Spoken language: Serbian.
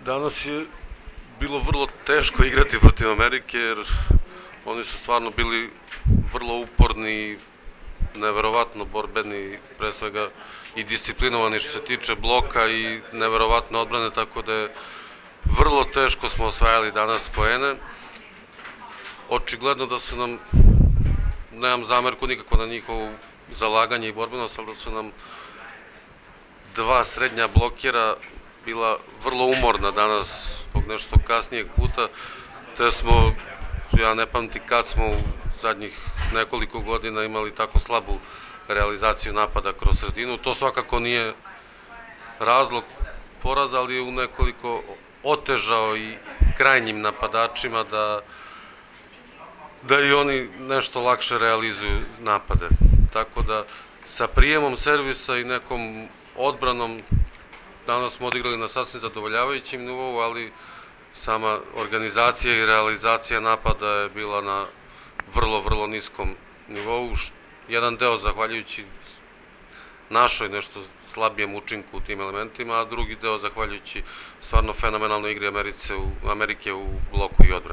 Danas je bilo vrlo teško igrati protiv Amerike jer oni su stvarno bili vrlo uporni, neverovatno borbeni, pre svega i disciplinovani što se tiče bloka i neverovatne odbrane, tako da je vrlo teško smo osvajali danas poene. Očigledno da su nam, nemam zamerku nikako na njihovo zalaganje i borbenost, ali da su nam dva srednja blokera bila vrlo umorna danas zbog nešto kasnijeg puta, te smo, ja ne pamtim kad smo u zadnjih nekoliko godina imali tako slabu realizaciju napada kroz sredinu. To svakako nije razlog poraza, ali je u nekoliko otežao i krajnjim napadačima da i oni nešto lakše realizuju napade. Tako da sa prijemom servisa i nekom odbranom danas smo odigrali na sasvim zadovoljavajućem nivou, ali sama organizacija i realizacija napada je bila na vrlo niskom nivou. Jedan deo zahvaljujući našoj nešto slabijem učinku u tim elementima, a drugi deo zahvaljujući stvarno fenomenalnoj igri Amerike u bloku i odbrani.